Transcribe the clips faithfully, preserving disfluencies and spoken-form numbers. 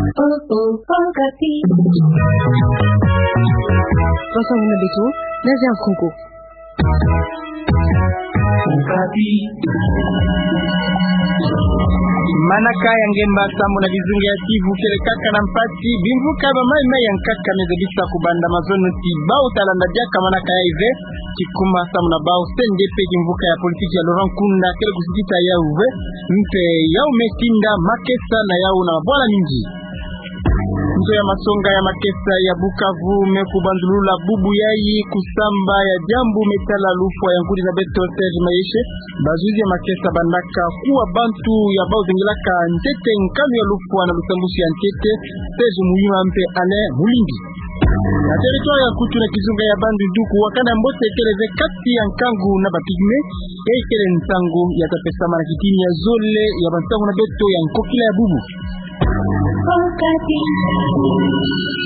Basa muna beto, na zia nkonko. Manaka ya ngemba sambu na kizunga ya tivu kele kaka na mpasi, bimvuka ba maimai ya nkaka me zabisa kubanda mazono ti bau talanda diaka manaka yayi ve, kikuma sambu na bau C N D P kimvuka ya politiki ya Laurent Nkunda kele kusukisa yawu ve, mpe yawu me tinda makesa na yawu na mabwala mingi. Nzo ya masonga ya makesa ya Bukavu me kubanzulula bubu yayi kusamba ya diambu me tala lufwa ya nkudi na beto Serge Mayeshe. Bazuzi ya makesa bandaka kuwa bantu ya bau zengilaka ntete nkanu ya lufwa na lusambusi ya ntete, Serge Muyima mpe Alain Mulimbi. Na territoire ya Kutu na kizunga ya Bandundu kuwakana mbote kele ve kati ya nkangu na ba pygmée, e kele nsangu ya ta pesama na kitini ya zole ya bansangu na beto ya nkokila ya bubu.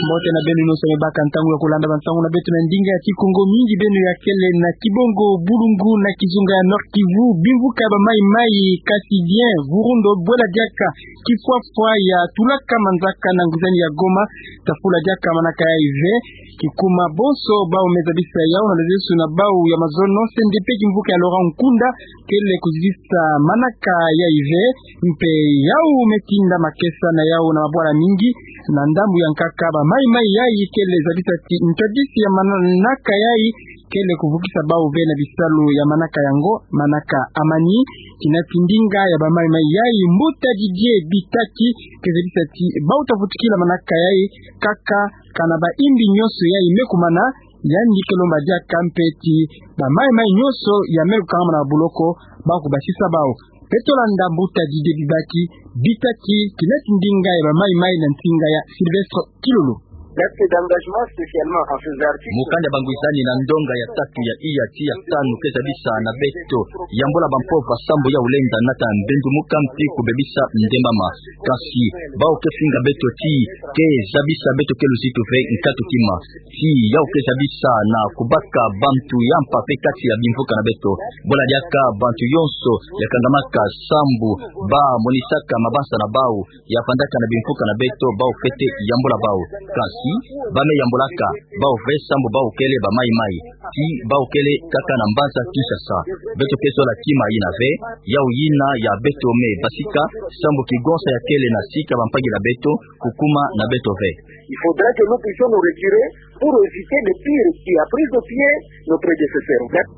Mbote na beno nyonso me baka ntangu ya kulanda bansangu na beto na ndinga ya Kikongo, mingi beno ya kele na Kibongo, Bulungu na kizunga ya Nord-Kivu, bimvuka ba maimai, Cassien Vurundo, bwela diaka kifwafwa ya tulaka manzaka na nguzani ya Goma, tafula diaka manaka yayi ve, kikuma bonso bau me zabisa yawu na lezesu na bau ya mazono, C N D P kimvuka ya Laurent Nkunda kele kuzisa manaka yayi ve, mpe yawu me tinda makesa na yawu na mabwala mingi. Na ndambu ya nkaka ba maimai yayi kele zabisa ti ntwadisi ya manaka yayi kele kuvukisa bau ve na bisalu ya manaka yango, manaka amani. Kina ti ndinga ya ba maimai yayi, mbuta Didier Bitaki ke zabisa ti bau ta vutukila manaka yayi kaka kana ba imbi nyonso yayi me kumana, yandi ke lomba diaka mpe ti ba maimai nyonso ya me lukangama na buloko bau kubasisa bau. Beto landa mbuta Didier Bibaki, Bitaki, kina ti ndinga ya ba maimai na nsinga ya Sylvestre Kilolo. L'acte d'engagement spécialement en ces articles. Mukanda bangwisani na ndonga ya tatu ya iya ti ya tanu ke zabisa na beto yambula bampova sambu ya ulenda nata mbendumuka mpe kubebisa ndembama. Kasi bau ke finga beto ti ke zabisa beto ke luzitu ve nkatu kima. Ti yau ke zabisa na kubaka bantu ya mpa mpe kati ya bimvuka na beto. Bwela diaka bantu yonso ya kangamaka sambu ba monisaka mabansa na bau, ya fandaka na bimvuka na beto, bau fwete yambula bau. Kasi ba me yambulaka bau ve sambu bau kele ba maimai, ti bau kele kaka na mbanza Kinshasa. Beto ke zola kima yina ve, yau yina ya beto me basika, sambu kigonsa ya kele na sika bampangila beto kukuma na beto ve. Il faudra que nous puissions nous retirer pour éviter de pires qui a pris de pied nos prédécesseurs.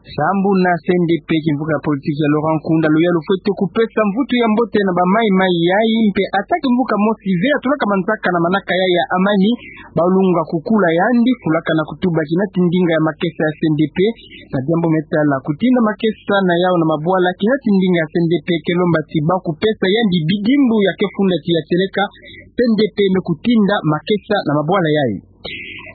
Sambu na C N D P, kimvuka ya politiki ya Laurent Nkunda, luyalu fwete kupesa mvutu ya mbote na ba maimai yayi, mpe ata kimvuka mosi ve ya tulaka manzaka na manaka yayi ya amani, bau lunga kukula yandi, fulaka na kutuba kina ti ndinga ya makesa ya C N D P, na diambu me tala kutinda makesa na yau na mabwala, kina ti ndinga ya C N D P ke lomba ti bau kupesa yandi bidimbu ya ke funda ti ya tieleka, C N D P me kutinda makesa na mabwala yayi.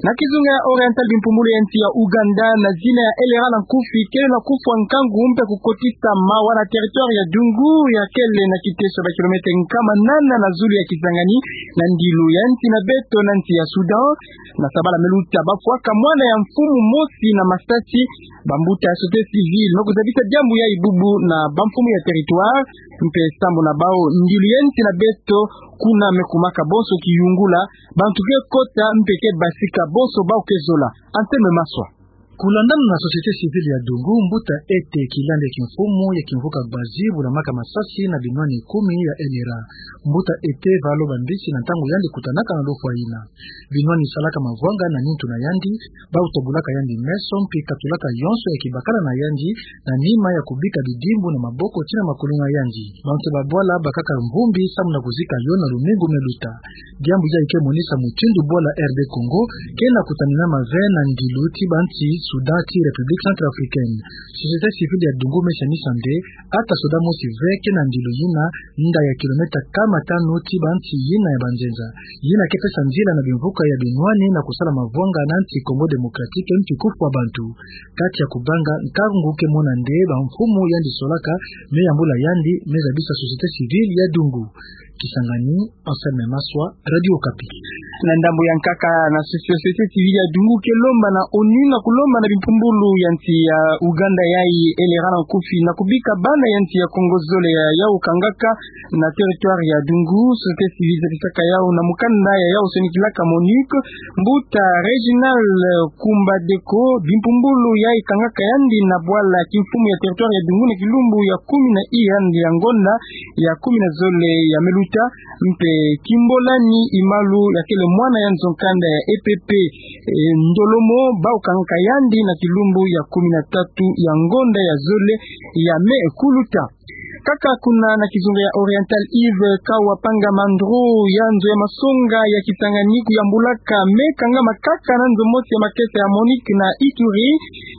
Na kizunga ya Oriental, bimpumbulu ya nsi ya Ouganda, na zina ya Elera na nkufi, kele na kufwa nkangu mpe kukotisa mawa na territoire ya Dungu, ya kele na kiteso ba kilomètre nkama nana na zulu ya Kisangani, na ndilu ya nsi na beto na nsi ya Soudan. Na sabala me luta, bafwaka mwana ya mfumu mosi na masasi, bambuta ya société civile me kuzabisa diambu yayi bubu na bamfumu ya territoire, mpe sambu na bau ndilu ya nsi na beto kuna me kumaka bonso kiyungula, bantu ke kota mpe ke basika, bonso bau ke zola. Anselme Maswa. Kulandana na société civile ya Dungu, mbuta Ete, kilandi ya kimfumu ya kimvuka Gbazi, bulamaka masasi na binwani kumi ya Elera. Mbuta Ete va loba mbisi na ntangu yandi kutanaka na lufwa yina. Binwani salaka mavwanga na nintu na yandi, bau tobulaka yandi meso, mpe katulaka yonso ya kibakala na yandi, na nima ya kubika bidimbu na maboko tii na makulunga yandi. Bantu ba bwala bakaka mvumbi sambu na kuzika yo na lumingu me luta. Diambu yayi ke monisa mutindu bwala R D Congo ke na kutanina mave na ndilu ti bansi Soudan tii République Centrafricaine. Société civile ya Dungu me sanisa nde, ata soda mosi ve ke na ndilu yina, nda ya kilomètre nkama tanu tii bansi yina ya banzenza. Yina ke pesa nzila na bimvuka ya binwani na kusala mavwanga na nsi Congo Démocratique, mpe kufwa bantu. Kati ya kubanga nkangu ke mona nde bamfumu yandi solaka me yambula yandi, me zabisa société civile ya Dungu. Kisangani, Anselme Maswa, Radio Okapi. Na ndambo ya nkaka, na sosi-, société civile ya Dungu ke lomba na ONU na kulomba na bimpumbulu ya nsi ya Ouganda yayi, elera na nkufi, na kubika bana ya nsi ya Kongo zole ya yau kangaka na territoire ya Dungu. Société civile zatisaka yau na mukanda ya yau sonikilaka MONUC, mbuta Réginald Kumbadeko, bimpumbulu yayi kangaka yandi na bwala kimfumu ya territoire ya Dungu na kilumbu ya kumi na i yandi ya ngonda ya kumi na zole ya meluta, mpe Kimbolani Imalu yakele mwana ya nzo nkanda ya EPP, eh, Ndolomo, bau kangaka yandi na kilumbu ya kumi na tatu ya ngonda ya zole ya me kuluta. Kaka kuna na kizunga ya Oriental, Yves Kawapanga Mandro ya nzo ya masonga ya Kisangani kuyambulaka me kangama kaka na nzo mosi ya makesa ya MONUC na Ituri.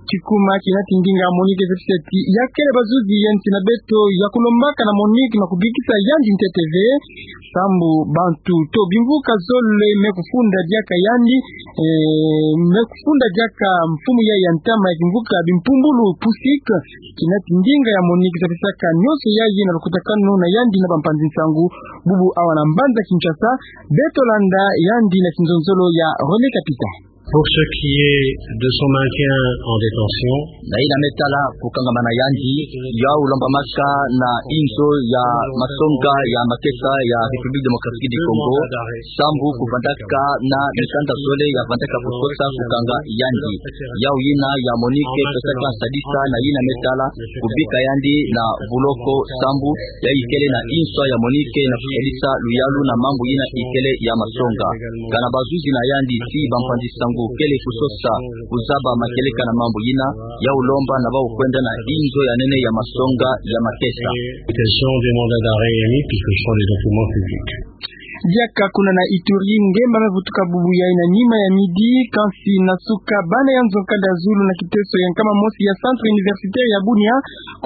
Kikuma kinati ndinga MONUC ezepisa ti yakele bazuzi ya nsi na beto ya kulombaka na MONUC na kubikisa yandi ntete ve, sambu bantu to bimvuka zole me kufunda diaka yandi, eh, me kufunda diaka mfumu ya, ya ntama ya kimvuka bimpumbulu PUSIC. Kinati ndinga ya MONUC zatisaka nionso yayi na lukutakanu na yandi na bampanzi nsangu, bubu awa na mbanza Kinshasa. Beto landa yandi na kinzonzolo ya René Kapita. Pour ce qui est de son maintien en détention, na yina me tala kukangamana yandi, yau lombamaka na inzo ya masonga ya makesa ya République Démocratique du Congo, sambu kuvandaka na mikanda zole ya vandaka kusosa kukanga yandi. Yau yina ya MONUC pesaka nsadisa na yina me tala kubika yandi na buloko, sambu yayi kele na inzo ya MONUC na kusadisa luyalu na mambu yina ikele ya masonga. Kana bazuzi na yandi ti bampanzi nsangu kele kusosa kuzaba makieleka na mambu yina, yau lomba na bau kwenda na inzo ya nene ya masonga ya makesa. Quels sont des mandats d'arrêt émis, puisque ce sont des documents publics. Diaka kuna na Ituri, ngemba me vutuka bubu yayi na nima ya midi, kansi na suka bana ya nzo nkanda ya zulu na kiteso ya nkama mosi ya Centre Universitaire ya Bunia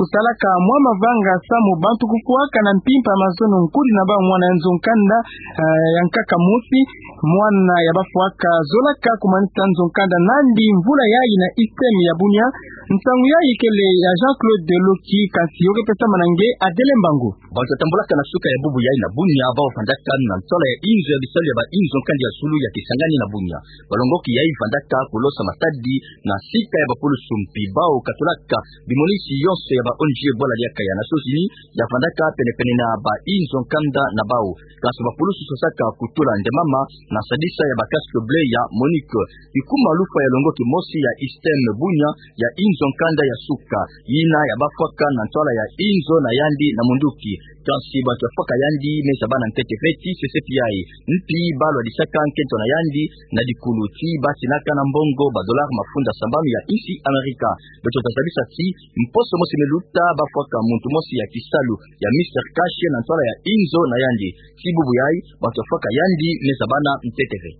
kusalaka mwa mavanga samu bantu kufwaka na mpimpa mazono nkudi na bau mwana ya nzo nkanda, eh, ya nkaka mosi, mwana ya bafwaka zolaka kumanisa nzo nkanda nandi mvula yayi na ISTEM ya Bunia. Nsangu yayi kele ya Jean-Claude Loki, kansi yo ke pesamana nge Adele Mbangu. Bantu batambulaka na suka ya bubu yayi na Bunia bau vandaka na ntwala ya inzo ya bisalu ya ba inzo nkanda ya zulu ya Kisangani na Bunia. Balongoki yayi vandaka kulosa matadi na sika ya bapulusu mpi bau katulaka bimonisi yonso ya ba ONG bwala diaka ya Nations Unies, ya vandaka penepene na ba inzo nkanda na bau. Kansi bapulusu sosaka kutula ndemama na sadisa ya ba casque bleu ya MONUC. Ikuma lufwa ya longoki mosi ya ISTEM Bunia, ya inzo nkanda ya suka, yina ya bafwaka na ntwala ya inzo na yandi na munduki. Kansi bantu ya fwaka yandi me zabana ntete ve ti CCPI, mpi ba lwadisaka nkento na yandi na dikulu ti ba tinaka na mbongo ba dollar mafunda sambanu ya insi Amerika. Beto tazabisa ti mposo mosi me luta ba fwaka muntu mosi ya kisalu ya Mister Cash na ntwala ya inzo na yandi. Ti bubu yayi, bantu ya fwaka yandi me zabana ntete ve.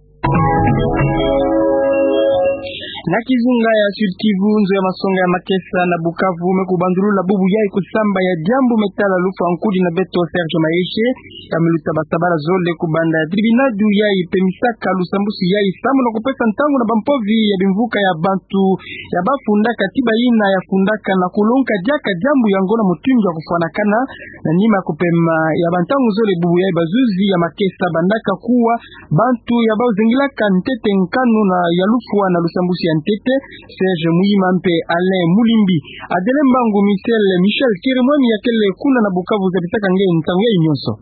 Na kizunga ya Sud-Kivu, nzo ya masonga ya makesa na Bukavu me kubandulula bubu yayi kusamba ya diambu me tala lufwa nkudi na beto Serge Maheshe, ya me luta ba sabala zole kubanda tribinadu yayi pemisaka lusambusu yayi samu na kupesa ntangu na bampovi ya bimvuka ya bantu ya bafundaka ti bayina ya fundaka na kulongoka diaka diambu yango na mutindu ya kufwanakana, na nima ya kupema ya bantangu zole bubu yayi bazuzi ya makesa bandaka kuwa bantu ya bau zengilaka ntete nkanu na ya lufwa na lusambusu ya ntete, Serge Muyima mpe Alain Mulimbi. Adele Mbangu, Michel, Michel Kirimwami ya kele kuna na Bukavu zabisaka nge ntangu yayi nyonso.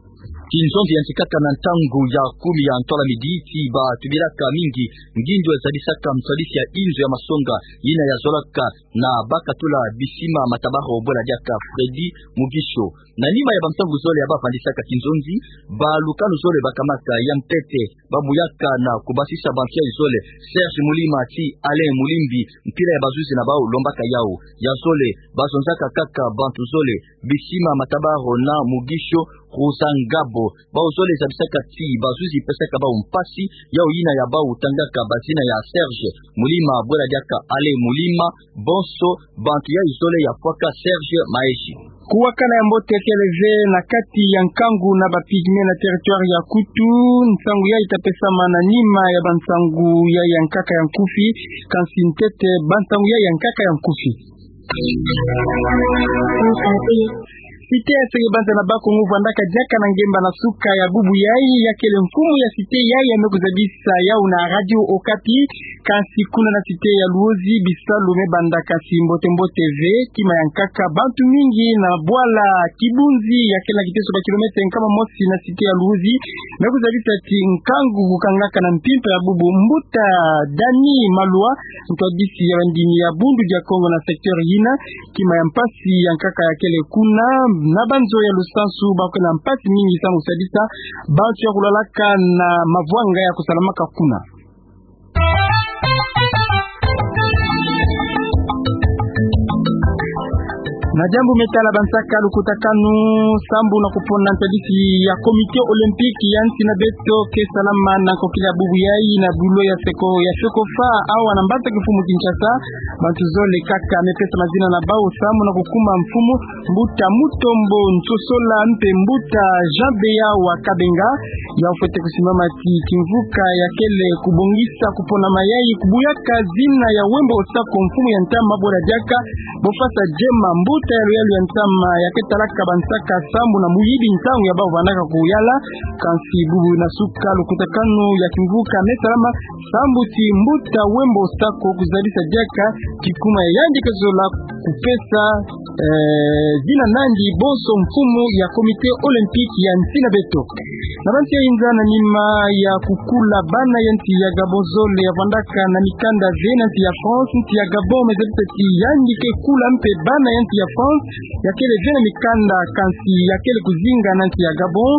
Kinzonzi yantikaka na ntangu ya kumi ya ntwala midi ti batubilaka mingi ngindu ya zabisaka msabisi ya inzo ya masonga yina ya zolaka na bakatula Bisima Matabaro bwela diaka Freddy Mugisho. Na nima ya bantangu zole ya bafandisaka kinzonzi, balukanu zole bakamaka ya ntete, babuyaka na kubasisa bantu yayi zole, Serge Mulima ti Alain Mulimbi, mpila ya bazuzi na bau lombaka yau. Ya zole, bazonzaka kaka bantu zole, Bisima Matabaro na Mugisho Ruzangabo. Bau zole zabisaka ti bazuzi pesaka bau mpasi, yau yina ya bau tangaka bazina ya Serge Mulima bwela diaka Alain Mulima, bonso bantu yayi zole ya fwaka Serge Maheshe. Kuwakana ya mbote kele ve na kati ya nkangu na ba Pygmées na territoire ya Kutu. Nsangu yayi ta pesama na nima ya bansangu yayi ya nkaka ya nkufi, kansi ntete bansangu yayi ya nkaka ya nkufi. Site ya Sege-Banza na Bas-Congo vwandaka diaka na ngemba na suka ya bubu yayi, ya kele mfumu ya site yayi ya me kuzabisa yawu na Radio Okapi. Kansi kuna na site ya Luozi, bisalu me banda kansi mbote-mbote ve. Kima ya nkaka, bantu mingi na bwala Kibunzi ya kele na kiteso ba kilomètre nkama mosi na site ya Luozi me kuzabisa ti nkangu kukangaka na mpimpa ya bubu. Mbuta Dani Malwa, ntwadisi ya bandini ya Bundu dia Kongo na secteur yina, kima ya mpasi ya nkaka ya kele kuna. Na banzo ya lusansu, ba kele na mpasi mingi samu kusadisa bantu ya kulwalaka na mavwanga ya kusalamaka kuna. Na diambu me tala bansaka lukutakanu, sambu na kupona ntadisi ya Comité Olympique ya nsi na beto ke salama na nkokila bubu yayi na bulo ya seko, ya seko fa awa na mbanza kimfumu Kinshasa. Bantu zole kaka me pesa mazina na bawu sambu na kukuma mfumu. Mbuta Mutombo Nsosola mpe Mbuta Jean Beya wa Kabenga, ya fwete kusimama ti kimvuka ya kele kubongisa kuponama yayi kubuyaka zina ya Wembo Osako, mfumu ya ntama. Bwala diaka, bo fasa diema. Mbuta ya luyalu ya ntama ya ke talaka bansaka sambu na muyibi ntangu ya bawu vandaka kuyala. Kansi bubu na suka lukutakanu ya kimvuka me salama sambu ti Mbuta Wembo Osako kuzabisa diaka kikuma ya yandi ke zola kupesa, eh, zina nandi bonso mfumu ya Comité Olympique ya nsi na beto. Na bansi ya inza, na nima ya kukula bana ya nsi ya Gabon zole ya vandaka na mikanda ve na nsi ya France, nsi ya Gabon me zabisa ti yandi ke kula mpe bana ya nsi ya France ya kele ve na mikanda, kansi ya kele kuzinga na nsi ya Gabon.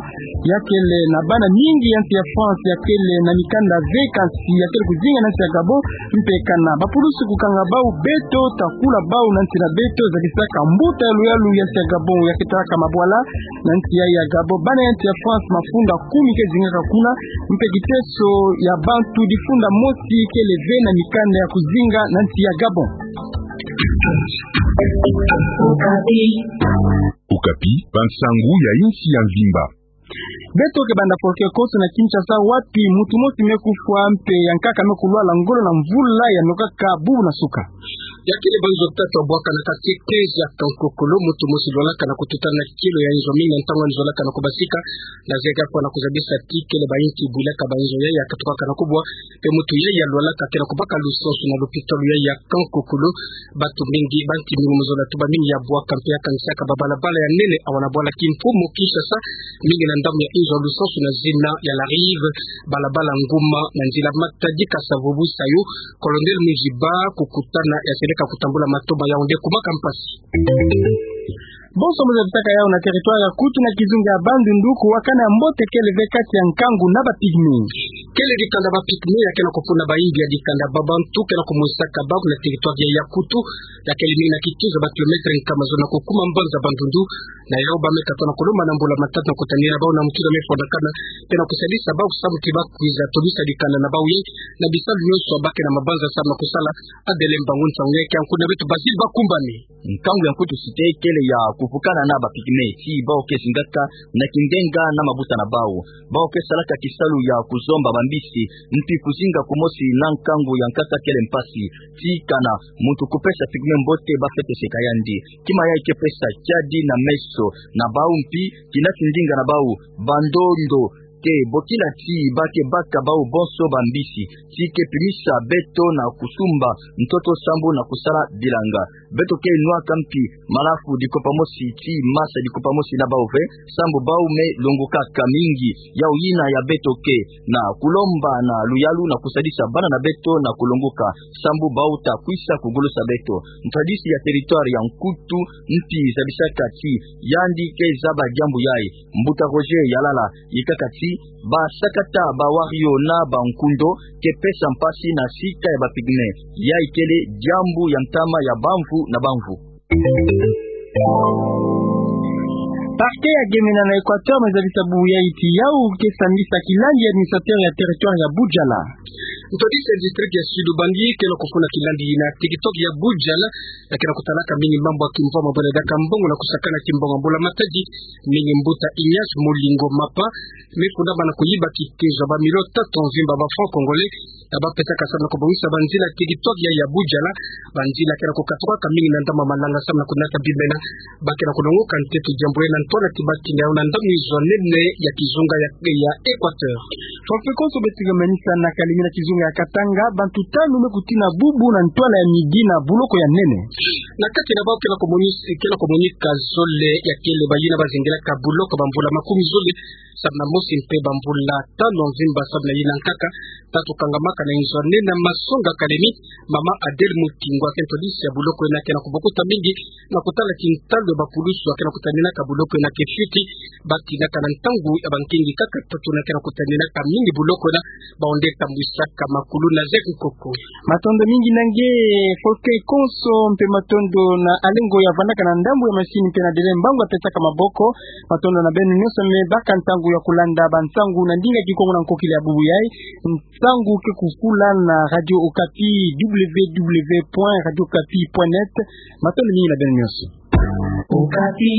Ya kele na bana mingi ya nsi ya France ya kele na mikanda ve, kansi ya kele kuzinga na nsi ya Gabon. Mpe kana bapulusu kukanga bawu, beto ta kula bawu na nsi na beto, zabisaka mbuta ya luyalu ya nsi ya Gabon ya ke talaka mabwala na nsi ya, ya Gabon. Bana ya nsi ya France mafunda kumi ke zingaka kuna, mpe kiteso ya bantu difunda mosi kele ve na mikanda ya kuzinga na nsi ya Gabon. Okapi, bansangu ya insi ya mvimba. Beto ke banda folklore konso na Kinshasa, wapi mutu mosi me kufwa mpe ya nkaka me kulwala ngolo na mvula ya nokaka bubu na suka. Ya kele banzo tatu ya bwaka na quartier quinze ya Kankokolo, mutu mosi lwalaka na kututana na kilo ya inzo mingi na ntangu ya nzo lwalaka na kubasika, na zeka kwa na kuzabisa ti kele bayinki bwilaka banzo yayi ya katukaka na kubwa, mpe mutu yayi ya lwalaka ke na kubaka lusansu na lopitalo yayi ya Kankokolo. Bantu mingi, banki mingi mu zola tuba mingi ya bwaka mpe ya kanisaka babalabala ya nene awa na bwala kimfumu Kinshasa, mingi na ndambu ya inzo ya lusansu na zina ya La Rive, balabala Nguma na nzila Matadi, Kasa-Vubu, Saïo, Colonel Muziba, kukutana ya seleka kutambula matoba ya onde kumaka mpasi. Bonso mu zabisaka yawu na territoire ya Kutu na kizunga ya Bandundu, kuwakana ya mbote kele ve kati ya nkangu na ba pygmées. Kele dikanda ba pygmées ya ke na kufuna bayimbi ya dikanda ba bantu ke na kumwisaka bawu na territoire ya, ya Kutu, ya kele mingi na kituza ba kilomètre nkama zole na kukuma mbanza Bandundu. Na yawu ba me kata na kulomba na mbula matatu na kutanina bawu na mutindu me fondakana, mpe na kusadisa bawu samu ti ba kwiza tobisa dikanda na bawu ye, na bisalu nyonso ba ke na mabanza samu na kusala. Adele mbangu nsangu ya ke ya nkutu na beto Basile Bakumbane. Nkangu ya Nkutu Cité kele ya kuvukana na ba pygmées, ti bawu ke zingaka na kingenga na mabuta na bawu. Bawu ke salaka kisalu ya kuzomba bambisi, mpi kuzinga kumosi na nkangu ya nkasa kele mpasi. Ti kana muntu kupesa pygmée mbote, ba fwete seka yandi. Kima yayi ke pesa kiadi na meso na bawu, mpi kina ti ndinga na bawu, bandondo ke bokila ti ba ke baka bawu bonso bambisi, ti ke pimisa beto na kusumba ntoto sambu na kusala bilanga. Beto ke nwaka mpi malafu dikopa mosi, ti masa dikopa mosi na bawu ve, sambu bawu me longokaka mingi. Yawu yina ya beto ke na kulomba na luyalu na kusadisa bana na beto na kulongoka, sambu bawu ta kwisa kugolosa beto. Ntadisi ya territoire ya Nkutu mpi zabisaka ti yandi ke zaba diambu yayi. Mbuta Roger Yalala yikaka ti ba sakata ba warrior na ba nkundo ke pesa mpasi na sika ya ba pygmée. Yayi kele diambu ya ntama ya bamvu na bamvu. Parquet ya Gemena na Équateur me zabisa bubu yayi ti yawu ke sambisa kilandi ya administrateur ya territoire ya Budjala. Ntwadisi ya district ya Sud-Ubangi ke na kufuna kilandi na territoire ya Budjala, ya ke na kutalaka mingi mambu ya kimvwama bwena diaka mbongo na kusakana kimbongo. Mbula matadi mingi, mbuta Ignace Molingo Mapa me fundama na kuyiba kitezo ya ba million tatu mvimba ba francs congolais. Tabapesaka samu na kobongisa banzila ya kituaki ya Bujala, banzila ke na kukatuka ka mingi na ndambu ya malanga samu na kunata bimena, ba ke na kulongoka nteto diambu ye na ntwala ti ba kina yo na ndambu izo nene ya kizunga ya, ya Equateur. Forfait konso beto ke manisa na Kalemi na kizunga ya Katanga, bantu tanu me kutina bubu na ntwala ya midi na buloko ya nene. Na kati na bawu ke na komonis-, ke na komonika zole ya kele bayina bazingilaka buloko bamvula makumi zole, samu na mosi mpe bamvula tanu mvimba samu na yina nkaka, tatu kangamaka na inzo nene ya masonga Kalemi, mama Adèle Mutingwa, kento lisi ya buloko yina ke na kubokuta mingi, na kutala tintalu ya bakulusu ke na kutaninaka buloko yina ke fioti, ba tinaka na ntangu ya bankingi kaka tatu na ke na kutaninaka mingi buloko yina, ba onde tambwisaka makulu na Jacques Nkoko. Matondo mingi na nge, Faustin Konso, mpe matondo na Alengo ya vandaka na ndambu ya masini mpe na Dele Mbangu ya pesaka maboko. Matondo na beno nyonso me baka ntangu ya kulanda bansangu na ndinga Kikongo na nkokila ya bubu yayi. Nsangu ke kufula na Radio Okapi, W W W point radio okapi point net. Matondo mingi na beno nyonso. Okapi.